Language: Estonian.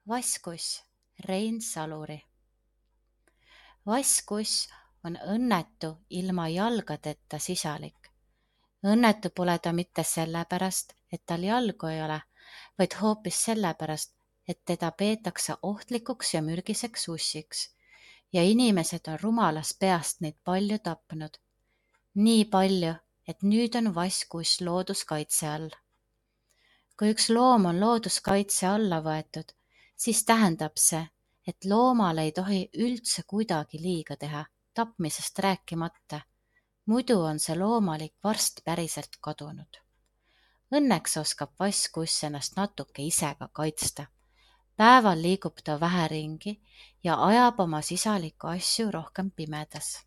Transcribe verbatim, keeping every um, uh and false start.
Vasskuss, Rein Saluri. Vasskuss on õnnetu ilma jalgadeta sisalik. Õnnetu pole ta mitte sellepärast, et tal jalgu ei ole, vaid hoopis sellepärast, et teda peetakse ohtlikuks ja mürgiseks ussiks ja inimesed on rumalast peast neid palju tapnud. Nii palju, et nüüd on vasskuss looduskaitse all. Kui üks loom on looduskaitse alla võetud, siis tähendab see, et loomale ei tohi üldse kuidagi liiga teha, tapmisest rääkimata. Muidu on see loomalik varst päriselt kadunud. Õnneks oskab vasskuss ennast natuke ise ka kaitsta. Päeval liigub ta vähe ringi ja ajab oma sisaliku asju rohkem pimedas.